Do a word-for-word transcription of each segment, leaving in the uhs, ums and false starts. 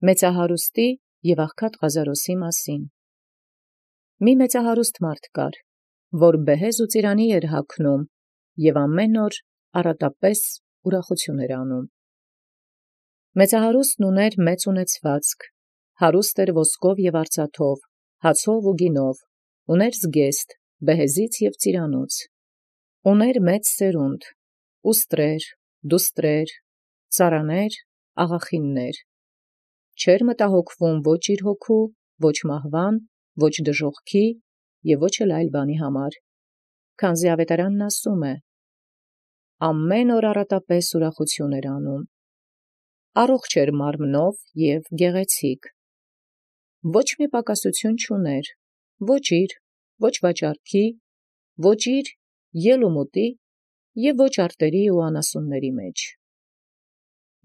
Մեծահարուստի և աղքատ Ղազարոսի մասին։ Մի մեծահարուստ մարդ կար, որ բեհեզ ու ծիրանի էր հագնում, և ամեն օր առատապես ուրախություն էր անում։ Մեծահարուստն ուներ մեծ ունեցվածք, հարուստ էր ոսկով և արծաթով, հացով ու գինով, ուներ զգեստ, բեհեզից և ծիրանուց, ուներ մեծ սերունդ, ուստրեր, դուստրեր, ծառաներ, աղախիններ, չէր մտահոգվում ոչ իր հոգու, ոչ մահվան, ոչ դժոխքի և ոչ էլ այլ բանի համար, քանզի ավետարանն ասում է. ամեն օր առատապես ուրախություն էր անում, առողջ էր մարմնով և գեղեցիկ, ոչ մի պակասություն չուներ, ոչ իր, ոչ վաճառքի, ոչ իր ելումուտի և ոչ արտերի ու անասունների մեջ,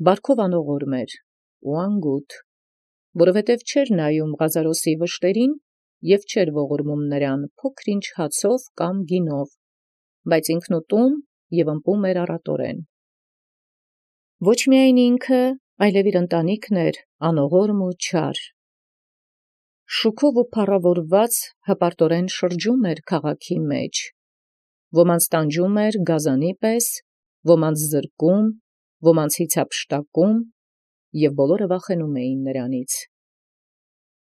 բարքով անողորմ էր ու անգութ, որովհետև չէր նայում Ղազարոսի վշտերին և չէր ողորմում նրան փոքր-ինչ հացով կամ գինով, բայց ինքնուտում և ըմպում էր առատորեն։ Ոչ միայն ինքը, այլև իր ընտանիքն էր անողորմ ու չար, շուքով ու փառավորված հպարտորեն շրջում էր քաղաքի մեջ, ոմանց տանջում էր գազանի պես, ոմանց զրկում, ոմանց հիցափշտակում, և բոլորը վախենում էին նրանից։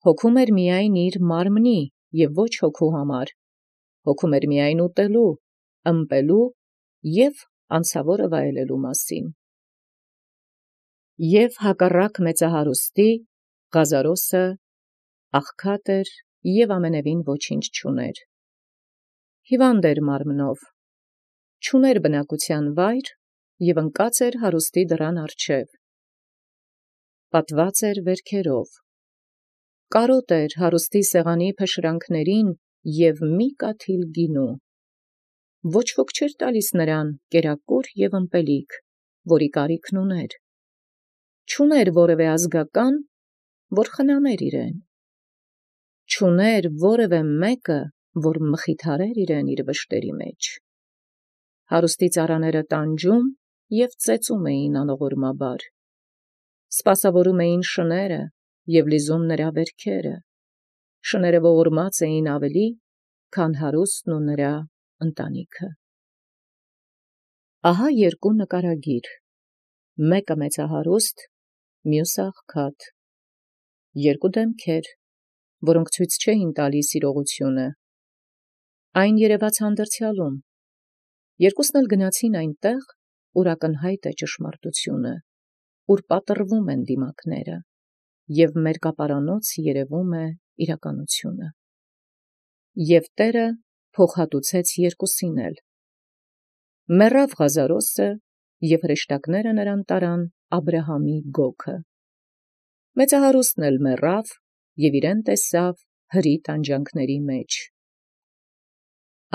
Հոգում էր միայն իր մարմնի և ոչ հոգու համար, հոգում էր միայն ուտելու, ըմպելու և անցավորը վայելելու մասին։ Եվ հակառակ մեծահարուստի, Ղազարոսը աղքատ էր և ամենևին ոչինչ չուներ, հիվանդ էր մարմնով, չուներ բնակության վայր և ընկած էր հարուստի դռան առջև, պատված էր վերքերով, կարոտ էր հարուստի սեղանի փշրանքներին և մի կաթիլ գինու, ոչ ոք չէր տալիս նրան կերակուր և ըմպելիք, որի կարիքն ուներ, չուներ որևէ ազգական, որ խնամեր իրեն, չուներ որևէ մեկը, որ մխիթարեր իրեն իր վշտերի մեջ, հարուստի ծառաները տանջում և ծեծում էին անողորմաբար, սպասավորում էին շները և լիզում նրա վերքերը, շները ողորմած էին ավելի, քան հարուստն ու նրա ընտանիքը։ Ահա երկու նկարագիր, մեկը մեծահարուստ, մյուսը աղքատ, երկու դեմքեր, որոնք ցույց չէին տալիս իրողությունը, այն երևաց հանդրձյալում, երկուսն էլ գնացին այնտեղ, ուր ակնհայտ է ճշմարտությունը, ուր պատռվում են դիմակները, և մերկապարանոց երևում է իրականությունը։ Եվ Տերը փոխհատուցեց երկուսին էլ. մեռավ Ղազարոսը, և հրեշտակները նրան տարան Աբրահամի գոգը, մեծահարուստն էլ մեռավ և իրեն տեսավ հրի տանջանքների մեջ։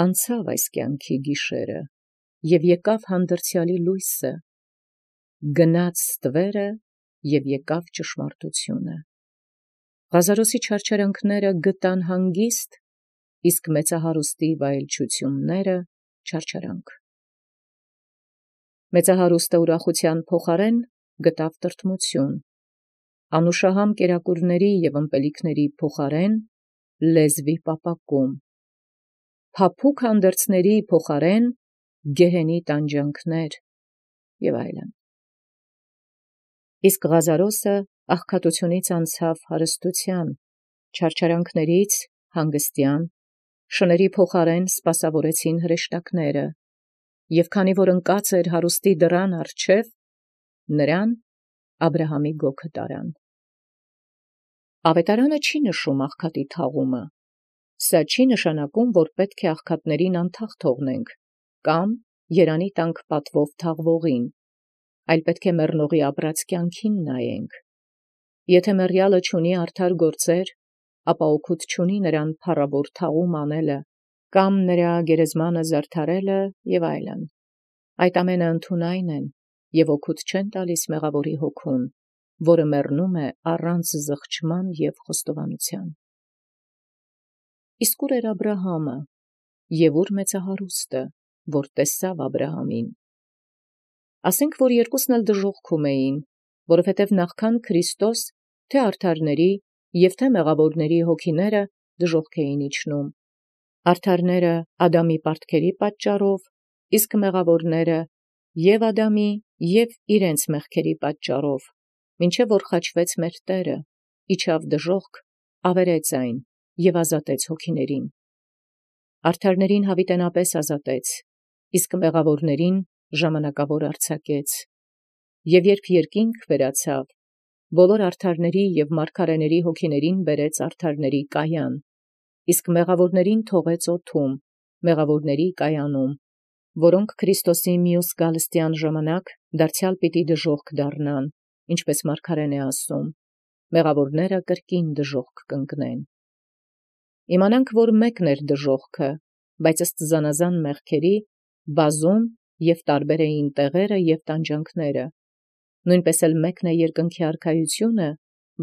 Անցավ այս կյանքի գիշերը, և եկավ հանդրձյալի լույսը, գնաց ստվերը և եկավ ճշմարտությունը։ Ղազարոսի չարչարանքները գտան հանգիստ, իսկ մեծահարուստի վայելչությունները չարչարանք։ Մեծահարուստը ուրախության փոխարեն գտավ տրտմություն, անուշահամ կերակուրների և ըմպելիքների փոխարեն լեզվի պապակում, փափուկ հանդերձների փոխարեն գեհենի տանջանքներ և այլն։ Իսկ Ղազարոսը աղքատությունից անցավ հարստության, չարչարանքներից հանգստյան, շների փոխարեն սպասավորեցին հրեշտակները, և քանի որ ընկած էր հարուստի դռան առջև, նրան Աբրահամի գոգը տարան։ Ավետարանը չի նշում աղքատի թաղումը, սա չի նշանակում, որ պետք է աղքատներին անթաղ թողնենք, կամ երանի տանք պատվով թաղվողին, այլ պետք է մեռնողի ապրած կյանքին նայենք։ Եթե մեռյալը չունի արդար գործեր, ապա օգուտ չունի նրան փառավոր թաղում անելը, կամ նրա գերեզմանը զարդարելը և այլն, այդ ամենը ընդունայն են և օգուտ չեն տալիս մեղավորի հոգուն, որը մեռնում է առանց զղջման և խոստովանության։ Իսկ ուր էր Աբրահամը, և ուր մեծահարուստը, որ տեսավ Աբրահամին։ Ասենք, որ երկուսն էլ դժոխքում էին, որովհետև նախքան Քրիստոս թե արդարների և թե մեղավորների հոգիները դժոխք էին իջնում։ Արդարները Ադամի պարտքերի պատճառով, իսկ մեղավորները և Ադամի և իրենց մեղքերի պատճառով, մինչև որ խաչվեց մեր Տերը, իջավ դժոխք, ավերեց այն և ազատեց հոգիներին։ Արդարներին հավիտենապես ազատեց, իսկ մեղավորներին ժամանակավոր արձակեց։ Եվ երբ երկինք վերացավ, բոլոր արդարների և մարգարեների հոգիներին բերեց արդարների կայան, իսկ մեղավորներին թողեց օդում, մեղավորների կայանում, որոնք Քրիստոսի մյուս գալստյան ժամանակ դարձյալ պիտի դժոխք դառնան, ինչպես մարգարեն է ասում. մեղավորները կրկին դժոխք կընկնեն։ Իմանանք, որ մեկն էր դժոխքը, բայց ըստ զանազան մեղքերի բազում և տարբեր էին տեղերը և տանջանքները, նույնպես էլ մեկն է երկնքի արքայությունը,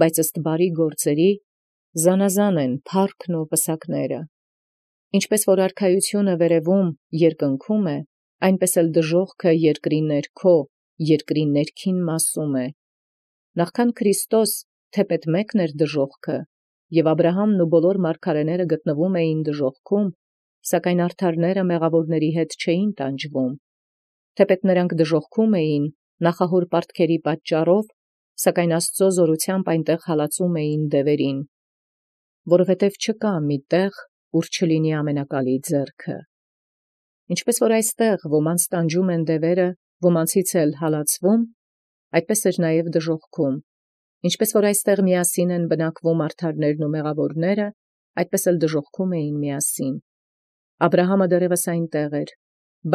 բայց ըստ բարի գործերի զանազան են փառքն ու պսակները։ Ինչպես որ արքայությունը վերևում երկնքում է, այնպես էլ դժոխքը երկրի ներքո, երկրի ներքին մասում է։ Նախքան Քրիստոս թեպետ մեկն էր դժոխքը, և Աբրահամն ու բոլոր մարգարեները գտնվում էին դժոխքում, սակայն արդարները մեղավորների հետ չէին տանջվում, թեպետ նրանք դժոխքում էին նախահոր պարտքերի պատճառով, սակայն Աստծո զորությամբ այնտեղ հալածում էին դևերին, որովհետև չկա մի տեղ, ուր չլինի ամենակալի ձեռքը։ Ինչպես որ այստեղ ոմանց տանջում են դևերը, ոմանցից էլ հալածվում, այդպես էր նաև դժոխքում։ Ինչպես որ այստեղ միասին են բնակվում արդարներն ու մեղավորները, այդպես էլ դժոխքում էին միասին։ Աբրահամը դեռևս այնտեղ էր,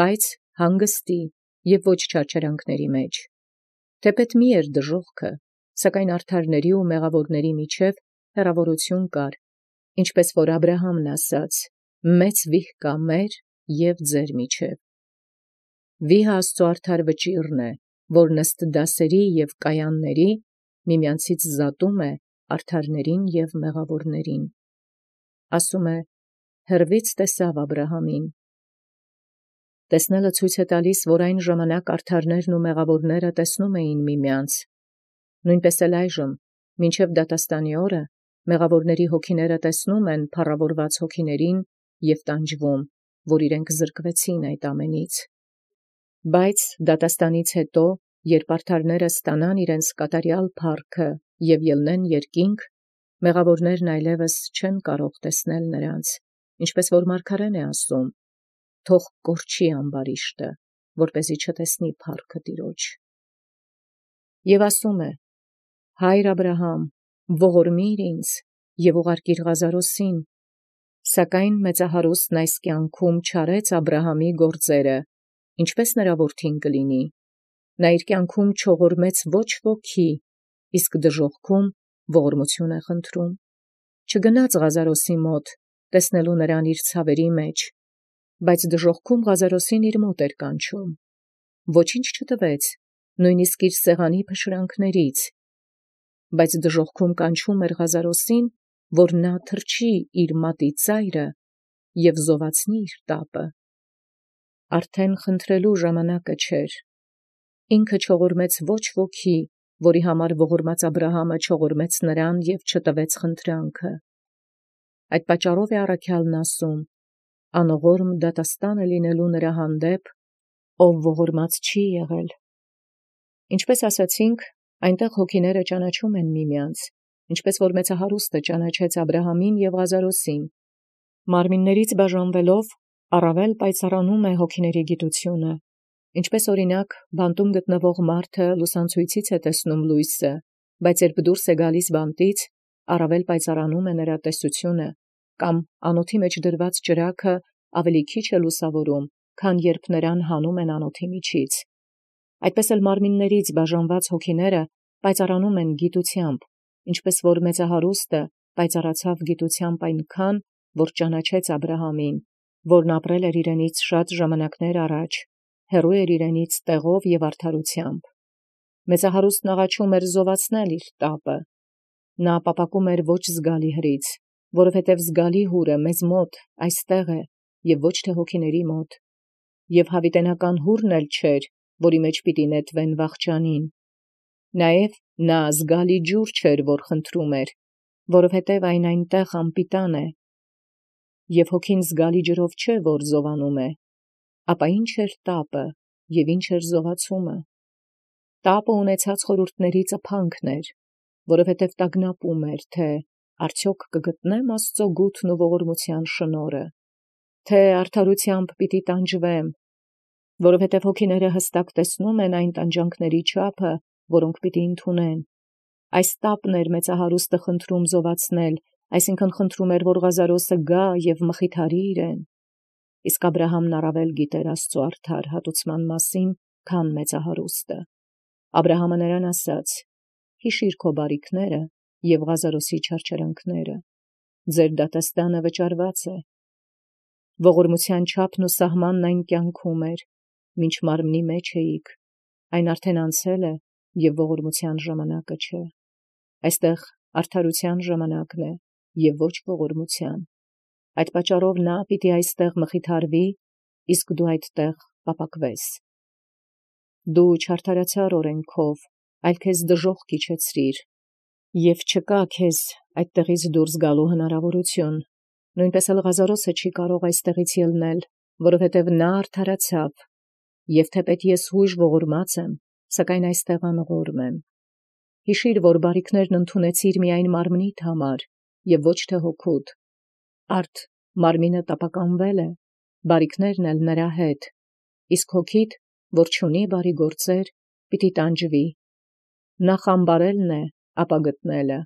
բայց հանգստի և ոչ չարչարանքների մեջ։ Թեպետ մի էր դժոխքը, սակայն արդարների ու մեղավորների միջև հեռավորություն կար, ինչպես որ Աբրահամն ասաց. «Մեծ վիհ կա մեր և ձեր միջև»։ Վիհը Աստծո արդար վճիռն է, որն ըստ դասերի և կայանների միմյանցից զատում է արդարներին և մեղավորներին։ Ասում է. հեռվից տեսավ Աբրահամին։ Տեսնելը ցույց է տալիս, որ այն ժամանակ արդարներն ու մեղավորները տեսնում էին միմյանց։ Նույնպես էլ այժմ, մինչև դատաստանի օրը, մեղավորների հոգիները տեսնում են փառավորված հոգիներին և տանջվում, որ իրենք զրկվեցին այդ ամենից։ Բայց դատաստանից հետո, երբ արդարները ստանան իրենց կատարյալ փառքը և ելնեն երկինք, մեղավորներն այլևս չեն կարող տեսնել նրանց, ինչպես որ մարգարեն է ասում. թող կորչի ամբարիշտը, որպեսզի չտեսնի փառքը Տիրոջ։ Եվ ասում է. «Հայր Աբրահամ, ողորմիր ինձ և ուղարկիր Ղազարոսին»։ Սակայն մեծահարուստն այս կյանքում չարեց Աբրահամի գործերը, ինչպես նրա որդին կլինի։ Նա իր կյանքում չողորմեց ոչ ոքի, իսկ դժոխքում ողորմություն է խնդրում։ Չգնաց Ղազարոսի մոտ, տեսնելու նրան իր ցավերի մեջ, բայց դժոխքում Ղազարոսին իր մոտ էր կանչում։ Ոչինչ չտվեց, նույնիսկ իր սեղանի փշրանքներից, բայց դժոխքում կանչում էր Ղազարոսին, որ նա թրջի իր մատի ծայրը և զովացնի իր տապը։ Արդեն խնդրելու ժամանակը չէր։ Ինքը չողորմեց ոչ ոքի, որի համար ողորմած Աբրահամը չողորմեց նրան և չտվեց խնդրանքը։ Այդ պատճառով է առաքյալն ասում. անողորմ դատաստան է լինելու նրա հանդեպ, ով ողորմած չի եղել։ Ինչպես ասացինք, այնտեղ հոգիները ճանաչում են միմյանց, ինչպես որ մեծահարուստը ճանաչեց Աբրահամին և Ղազարոսին։ Մարմիններից բաժանվելով, առավել պայծառանում է հոգիների գիտությունը, ինչպես օրինակ բանտում գտնվող մարդը լուսանցույցից է տեսնում լույսը, բայց երբ դուրս է գալիս բանտից, առավել պայծառանում է նրա տեսությունը, կամ անոթի մեջ դրված ճրագը ավելի քիչ է լուսավորում, քան երբ նրան հանում են անոթի միջից։ Այդպես էլ մարմիններից բաժանված հոգիները պայծառանում են գիտությամբ, ինչպես որ մեծահարուստը պայծառացավ գիտությամբ այնքան, որ ճանաչեց Աբրահամին, որն ապրել էր իրենից շատ ժամանակներ առաջ, հեռու էր իրենից տեղով և արդարությամբ։ Մեծահարուստն աղաչում էր զովացնել իր տապը։ Նա ապապակում էր ոչ զգալի հրից, որովհետև զգալի հուրը մեզ մոտ այստեղ է և ոչ թե հոգիների մոտ, և հավիտենական հուրն էլ չէր, որի մեջ պիտի նետվեն վախճանին։ Նաև Նա զգալի ջուր չէր, որ խնդրում էր, որովհետև այն այնտեղ անպիտան է, և հոգին զգալի ջրով չէ, որ զովանում է, ապա ինչ էր տապը, և ինչ էր զովացումը։ Տապը ունեցած խորհուրդների ծփանքն էր, որովհետև տագնապում էր, թե արդյոք կգտնեմ Աստծո գութն ու ողորմության շնորհը, թե արդարությամբ պիտի տանջվեմ, որովհետև հոգիները հստակ տեսնում են այն տանջանքների չափը, որոնք պիտի ընդունեն։ Այս տապն էր մեծահարուստը խնդրում զովացնել, այսինքն խնդրում էր, որ Ղազարոսը գա և մխիթարի իրեն։ Իսկ Աբրահամն առավել գիտեր Աստծո արդար հատուցման մասին, քան մեծահարուստը։ Աբրահամը նրան ասաց. «Հիշիր քո բարիքները և Ղազարոսի չարչարանքները, ձեր դատաստանը վճարված է»։ Ողորմության չափն ու սահմանն այն կյանքում էր, մինչ մարմնի մեջ էիք, այն արդեն անցել է և ողորմության ժամանակը չէ։ Այստեղ արդարության ժամանակն է և ոչ ողորմության։ Այդ պատճառով նա պիտի այստեղ մխիթարվի, իսկ դու այդտեղ պապակվես։ Դու չարդարացար օրենքով, այլ քեզ դժոխք իջեցրիր, և չկա քեզ այդտեղից դուրս գալու հնարավորություն։ Նույնպես էլ Ղազարոսը չի կարող այստեղից ելնել, որովհետև նա արդարացավ, և թեպետ ես հույժ ողորմած եմ, սակայն այստեղ անողորմ եմ։ Հիշիր, որ բարիքներն ընդունեցիր միայն մարմնիդ համար և ոչ թե հոգուդ։ Արդ մարմինը տապականվել է, բարիքներն էլ նրա հետ, իսկ հոգիդ, որ չունի բարի գործեր, պիտի տանջվի։ Նախ ամբարելն է, ապա գտնելը,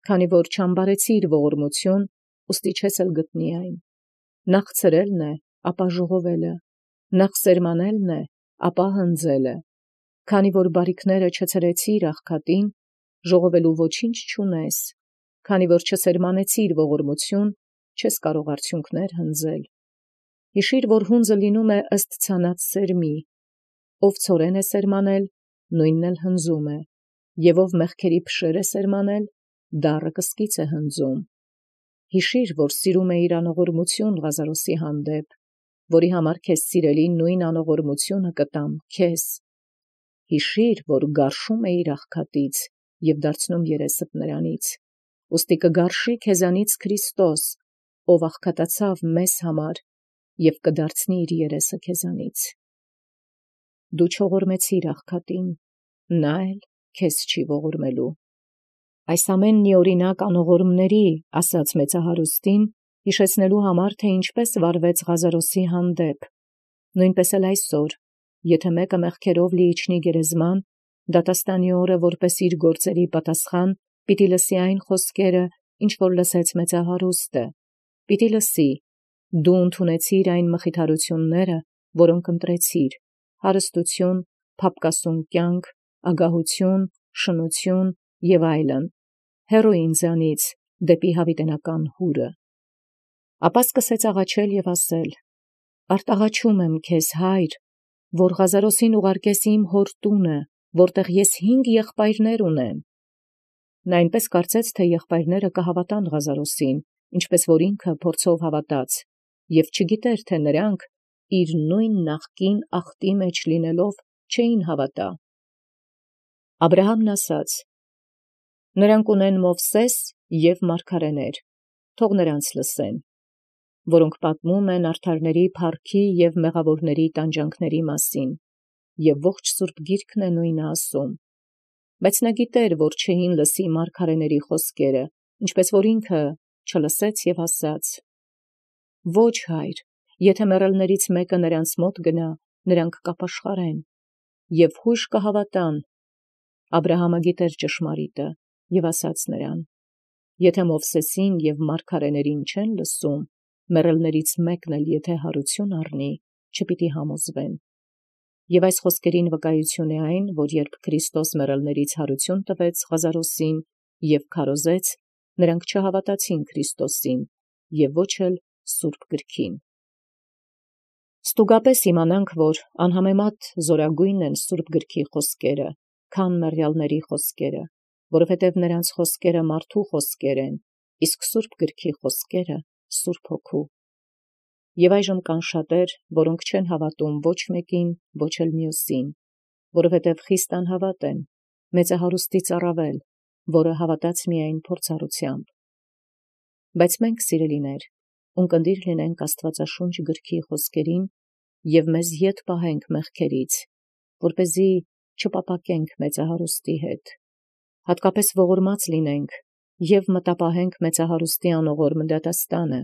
քանի որ չամբարեցիր ողորմություն, ուստի չես էլ գտնի այն։ Նախ ցրելն է, ապա ժողովելը, նախ սերմանելն է, ապա հնձելը, քանի որ բարիքները չցրեցիր աղքատին, ժողովելու ոչինչ չունես, քանի որ չսերմանեցիր ողորմություն, չես կարող արդյունքներ հնձել։ Հիշիր, որ հունձը լինում է ըստ ցանած սերմի, ով ցորեն է սերմանել, նույնն էլ հնձում է, և ով մեղքերի փշեր է սերմանել, դառը կսկիծ է հնձում։ Հիշիր, որ սիրում է իր անողորմություն Ղազարոսի հանդեպ, որի համար քեզ սիրելի նույն անողորմությունը կտամ քեզ։ Հիշիր, որ գարշում է իր աղքատից և դարձնում երեսդ նրանից, ուստի կգարշի քեզանից Քրիստոս, ով աղքատացավ մեզ համար և կդարձնի իր երեսը քեզանից։ Դու չողորմեցիր աղքատին, նա էլ քեզ չի ողորմելու։ Այս ամենն իօրինակ անողորմների, ասաց մեծահարուստին, հիշեցնելու համար, թե ինչպես վարվեց Ղազարոսի հանդեպ։ Նույնպես էլ այսօր, եթե մեկը մեղքերով լի իջնի գերեզման, դատաստանի օրը որպես իր գործերի պատասխան, պիտի լսի այն խոսքերը, ինչ որ լսեց մեծահարուստը, պիտի լսի. «Դու ընդունեցիր այն մխիթարությունները, որոնք ընտրեցիր, հարստություն, փափկասուն կյանք, ագահություն, շնություն և այլն, հեռու ինձանից դեպի հավիտենական հուրը»։ Ապա սկսեց աղաչել և ասել. «Արտաղաչում եմ քեզ, Հայր, որ Ղազարոսին ուղարկես իմ հոր տունը, որտեղ ես հինգ եղբայրներ ունեմ»։ Նա այնպես կարծեց, թե եղբայրները կհավատան Ղազարոսին, ինչպես որ ինքը փորձով հավատաց, և չգիտեր, թե նրանք, իր նույն նախկին ախտի մեջ լինելով, չէին հավատա։ Աբրահամն ասաց. «Նրանք ունեն Մովսես և մարգարեներ, թող նրանց լսեն, որոնք պատմում են արդարների փառքի և մեղավորների տանջանքների մասին, և ողջ Սուրբ Գիրքն է նույնը ասում»։ Բայց նա գիտեր, որ չէին լսի մարգարեների խոսքերը, ինչպես որ ինքը չլսեց և ասաց. «Ոչ, Հայր, եթե մեռելներից մեկը նրանց մոտ գնա, նրանք կապաշխարեն և հույժ կհավատան»։ Աբրահամը գիտեր ճշմարիտը և ասաց նրան. «Եթե Մովսեսին և մարգարեներին չեն լսում, մեռելներից մեկն էլ եթե հարություն առնի, չպիտի համոզվեն»։ Եվ այս խոսքերին վկայություն է այն, որ երբ Քրիստոս մեռելներից հարություն տվեց Ղազարոսին և քարոզեց, նրանք չհավատացին Քրիստոսին և ոչ էլ Սուրբ Գրքին։ Ստուգապես իմանանք, որ անհամեմատ զորագույն են Սուրբ Գրքի խոսքերը, քան մեռյալների խոսքերը, որովհետև նրանց խոսքերը մարդու խոսքեր են, իսկ Սուրբ Գրքի խոսքերը Սուրբ Հոգու։ Եվ այժմ կան շատեր, որոնք չեն հավատում ոչ մեկին, ոչ էլ մյուսին, որովհետև խիստ անհավատ են, մեծահարուստից առավել, որը հավատաց միայն փորձառությամբ։ Բայց մենք, սիրելիներ, ունկնդիր լինենք Աստվածաշունչ գրքի խոսքերին և մեզ ետ պահենք մեղքերից, որպեսզի չպապակենք մեծահարուստի հետ, հատկապես ողորմած լինենք և մտապահենք մեծահարուստի անողորմը դատաստանը,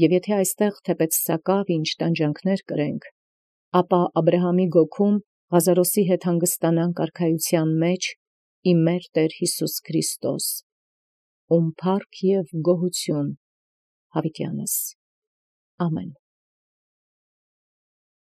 և եթե այստեղ թեպետ սակավ ինչ տանջանքներ կրենք, ապա Աբրահամի գոգում Ղազարոսի հետ հանգստանանք արքայության մեջ ի մեր Տեր Յիսուս Քրիստոս, ում փառք և գոհություն յաւիտյանս։ Ամեն։